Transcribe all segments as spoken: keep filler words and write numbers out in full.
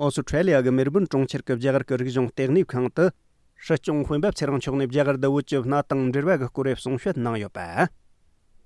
ཨོ་སི་ཁྲེ་ལི་ཡ་གི་མེལ་སྦུན་གྲོང་ཁྱེར་གྱི་རྒྱ་གར་གྱི་རིག་གཞུང་ལྟེ་གནས་ཁང་དུ། སྲིད་སྐྱོང་སྤེན་པ་ཚེ་རིང་མཆོག་ནས་རྒྱ་གར་དུ་བོད་ཀྱི་གནའ་དེང་འབྲེལ་བ་གི་སྐོར་རེ་གསུང་བཤད་གནང་ཡོད་པ།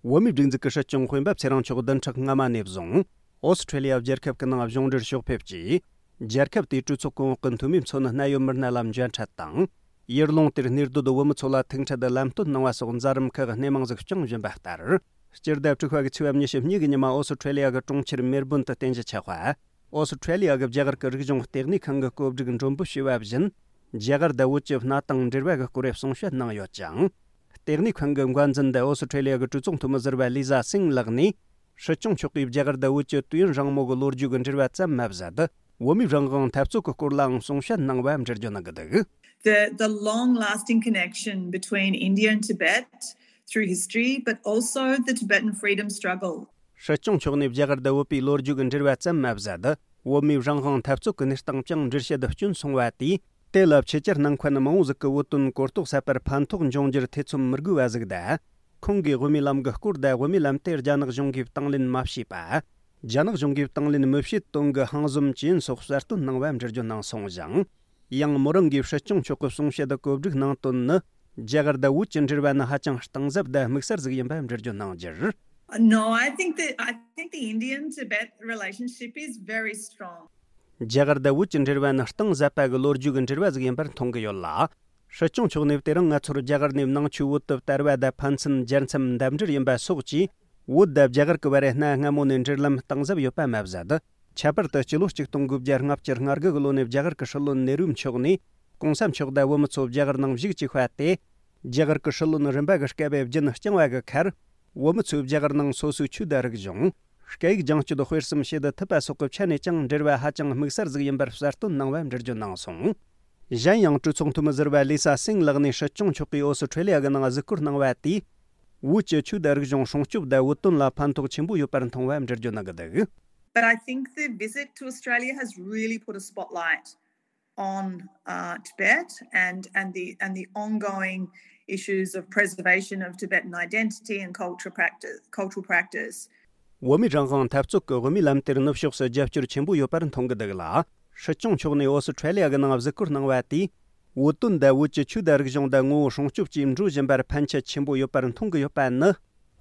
བོད་མིའི་སྒྲིག་འཛུགས་ཀྱི་སྲིད་སྐྱོང་སྤེན་པ་ཚེ་རིང་མཆོག་བདུན་ཕྲག་སྔ་མ་ནས་བཟུང་ཨོ་སི་ཁྲེ་ལི་ཡ་རྒྱལ་ཁབ་ཀྱི་ནང་གཞུང་འབྲེལ་ཕྱོགས་ཕེབས་ཀྱིས། རྒྱལ་ཁབ་དེའི་གྲོས་ཚོགས་གོང་འོག་གི་འཐུས་མིའི་མཚོན་གནད་ཡོད་མི་སྣ་ལ་མཇལ་འཕྲད་དང་། ཡུལ་ལུང་དེར་གནས་སྡོད་བོད་མི་ཚོ་ལ་ཐུག་འཕྲད་དུ་ལམ་སྟོན་གནང་བ་སོགས་མཛད་རིམ་ཁག་སྣེ་མང་ཟིག་བསྐྱངས་བཞིན་པ་ལྟར། སྤྱི་ཟླ་དྲུག་པ་གི་ཚེས་པ་ཉི་ཤུ་གཉིས་ཀྱི་ཉི་མ་ཨོ་སི་ཁྲེ་ལི་ཡ་གི་གྲོང་ཁྱེར་མེལ་སྦུན་དུ་རྟེན་གཞི་ཆགས་པ། ཨོ་སི་ཁྲེ་ལི་ཡ་གི་རྒྱ་གར་གྱི་རིག་གཞུང་ལྟེ་གནས་ཁང་གི་བཀོད་སྒྲིག་མགྲོན་འབོད་བྱས་པ་བཞིན། རྒྱ་གར་དང་བོད་ཀྱི་གནའ་དེང་འབྲེལ་བ་གི་སྐོར་རེ་གསུང་བཤད་གནང་ཡོད་ཅིང་། ལྟེ་གནས་ཁང་གི་འགན་འཛིན་དེ་ཨོ་སི་ཁྲེ་ལི་ཡ་གི་གྲོས་ཚོགས་འཐུས་མི་ཟུར་པ་ལི་ཟ་སིང་ལགས་ནས། སྲིད་སྐྱོང་མཆོག་གིས་རྒྱ་གར་དང་བོད་ཀྱི་དུས་ཡུན་རིང་མོ་གི་ལོ་རྒྱུས་ཀྱི་འབྲེལ་བ་ཙམ་མ་ཟད། བོད་མིའི་རང་དབང་འཐབ་རྩོད་ཀྱི་སྐོར་ལའང་གསུང་བཤད་གནང་བ་འགྲེལ་བརྗོད་གནང་གི་འདུག The, the long lasting connection between India and Tibet through history, but also the Tibetan freedom struggle. སྲིད་སྐྱོང་མཆོག་ནས་རྒྱ་གར་དང་བོད་པའི་ལོ་རྒྱུས་ཀྱི་འབྲེལ་བ་ཙམ་མ་ཟད། བོད་མིའི་རང་དབང་འཐབ་རྩོད་ཀྱི་གནས་སྟངས་ཀྱང་འགྲེལ་བཤད་སྐྱོན་སོང་བ་དེས། དེ་ལ་ཕྱི་རྒྱལ་ནང་འཁོད་མང་བོ་ཟིག་གི་བོད་དོན་གོ་རྟོགས་ཟད་པར་ཕན་ཐོགས་འབྱུང་རྒྱུར་ཐེ་ཚོམ་མི་དགོས་པ་ཟིག་དང་། ཁོང་གིས་དབུ་མའི་ལམ་གྱི་སྐོར་དང་དབུ་མའི་ལམ་དེ་རྒྱ་ནག་གཞུང་གིས་དང་ལེན་མ་བྱས་པ། རྒྱ་ནག་གཞུང་གིས་དང་ལེན་མི་བྱེད་དོན་གྱི་ཧང་ཟོམ་ཇི་ཡིན་སོགས་གསལ་སྟོན་གནང་བ་འགྲེལ་བརྗོད་གནང་སོང་ཞིང་། ཡང་མོ་རང་གིས་སྲིད་སྐྱོང་མཆོག་གི་གསུང་བཤད་དུ་བཀོད་སྒྲིག་གནང་དོན་ནི། རྒྱ་གར་དང་བོད་ཀྱི་འབྲེལ་བ་ནི་ཧ་ཅང་གཏིང་ཟབ་དང་དམིགས་བསལ་ཟིག་ཡིན་པ་འགྲེལ་བརྗོད་གནང་རྒྱུར། No, I think that I think the Indian Tibet relationship is very strong. རྒྱ་གར་དང་བོད་ཀྱི་འབྲེལ་བ་ནི་གཏིང་ཟབ་པ་གི་ལོ་རྒྱུས་ཀྱི་འབྲེལ་བ་ཟིག་ཡིན་པར་མཐོང་གི་ཡོད་ལ། སྲིད་སྐྱོང་མཆོག་ནས་དེ་རིང་ང་ཚོར་རྒྱ་གར་ནས་ནང་ཆོས་བོད་དུ་དར་བ་དང་ཕན་ཚུན་རྒྱལ་མཚམས་འདབས་འབྲེལ་ཡིན་པ་སོགས་ཀྱིས། བོད་དང་རྒྱ་གར་གྱི་བར་གནའ་སྔ་མོ་ནས་འབྲེལ་ལམ་གཏིང་ཟབ་ཡོད་པ་མ་ཟད། ཁྱད་པར་དུ་སྤྱི་ལོ་གཅིག་སྟོང་དགུ་བརྒྱ་ལྔ་བཅུ་ང་དགུ་གི་ལོ་ནས་རྒྱ་གར་གྱི་སྲིད་བློན་ནེ་རུ་མཆོག་ནས་གོང་ས་མཆོག་དང་བོད་མི་ཚོ་རྒྱ་གར་ནང་བཞུགས་བཅུག་པ་སྟེ། རྒྱ་གར་གྱི་སྲིད་བློན་རིམ་པ་གི་སྐབས་བརྒྱུད་བསྐྱངས་བ་གི་ཁར། བོད་མི་ཚོས་རྒྱ་གར་ནང་སོ་སོའི་ཆོས་དང་རིག་གཞུང་། སྐད་ཡིག་སྦྱང་སྤྱོད་སྤེལ་གསུམ་བྱེད་དུ་ཐུབ་པ་སོགས་ཀྱི་ཆ་ནས་ཀྱང་འབྲེལ་བ་ཧ་ཅང་དམིགས་བསལ་ཟིག་ཡིན་པར་གསལ་སྟོན་གནང་བ་འགྲེལ་བརྗོད་གནང་སོང་། གཞན་ཡང་གྲོས་ཚོགས་འཐུས་མི་ཟུར་པ་ལི་ས་སིང་ལགས་ནས་སྲིད་སྐྱོང་མཆོག་གིས་ཨོ་སི་ཁྲེ་ལི་ཡ་གི་ནང་གཟིགས་སྐོར་གནང་བ་དེས། བོད་ཀྱི་ཆོས་དང་རིག་གཞུང་སྲུང་སྐྱོབ་དང་བོད་དོན་ལ་ཕན་ཐོགས་ཆེན་པོ་ཡོད་པར་མཐོང་བ་འགྲེལ་བརྗོད་གནང་གི་འདུག But I think the visit to Australia has really put a spotlight on uh, Tibet and and the and the ongoing issues of preservation of Tibetan identity and culture practice, cultural practice. བོད་མིའི་རང་དབང་འཐབ་རྩོད་ཀྱི་དབུ་མའི་ལམ་དེར་ནུབ་ཕྱོགས་སུ་རྒྱབ་སྐྱོར་ཆེན་པོ་ཡོད་པར་མཐོང་གི་འདུག་ལ། སྲིད་སྐྱོང་མཆོག་ནས་ཨོ་སི་ཁྲེ་ལི་ཡ་གི་ནང་གཟིགས་སྐོར་གནང་བ་དེས། བོད་དོན་དང་བོད་ཀྱི་ཆོས་དང་རིག་གཞུང་དང་ངོ་བོ་སྲུང་སྐྱོབ་ཀྱིས་འགྲོ་བཞིན་པར་ཕན་ཆེ་ཆེན་པོ་ཡོད་པར་མཐོང་གི་ཡོད་པ་ནི།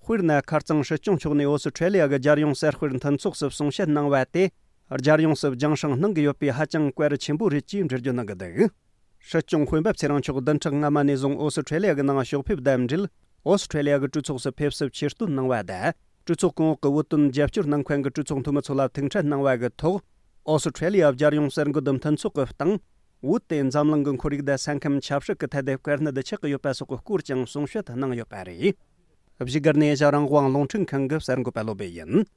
དཔེར་ན་ཁ་རྩང་སྲིད་སྐྱོང་མཆོག་ནས་ཨོ་སི་ཁྲེ་ལི་ཡ་གི་རྒྱལ་ཡོངས་གསར་སྤེལ་མཐུན་ཚོགས་སུ་གསུང་བཤད་གནང་བ་དེ། རྒྱལ་ཡོངས་སུ་རྒྱང་སྲིང་གནང་གི་ཡོད་པའི་ཧ་ཅང་གལ་ཆེན་པོ་རེད་ཅེས་འགྲེལ་བརྗོད་གནང་གི་འདུག་སྲིད་སྐྱོང་སྤེན་པ་ཚེ་རིང་མཆོག་བདུན་ཕྲག་སྔ་མ་ནས་བཟུང་ཨོ་སི་ཁྲེ་ལི་ཡ་གི་ནང་ཕྱོགས་ཕེབས་དང་འབྲེལ། ཨོ་སི་ཁྲེ་ལི་ཡ་གི་གྲོས་ཚོགས་སུ་ཕེབས་བསུ་ཆེ་བསྟོད་གནང་བ་དང་། གྲོས་ཚོགས་གོང་འོག་གི་བོད་དོན་རྒྱབ་སྐྱོར་གནང་མཁན་གྱི་གྲོས་ཚོགས་འཐུས་མི་ཚོ་ལ་ཐུག་འཕྲད་གནང་བ་གི་ཐོག་ཨོ་སི་ཁྲེ་ལི་ཡ་རྒྱལ་ཡོངས་གསར་འགོད་མཐུན་ཚོགས་ཀྱི་སྟེང་། བོད་དེ་འཛམ་གླིང་གི་ཁོར་ཡུག་དང་ས་ཁམས་ཆབ་སྲིད་ཀྱི་ཐད་དེ་དཀའ་གནད་ཆགས་ཀྱི་ཡོད་པ་སོགས་ཀྱི་སྐོར་ཀྱང་གསུང་བཤད་གནང་ཡོད་པ་རེད། བཞུགས་སྒར་ནས་ཨེ་ཤ་རང་དབང་རླུང་འཕྲིན་ཁང་གི་གསར་འགོད་པ་བློ་བྷེ་ཡིན།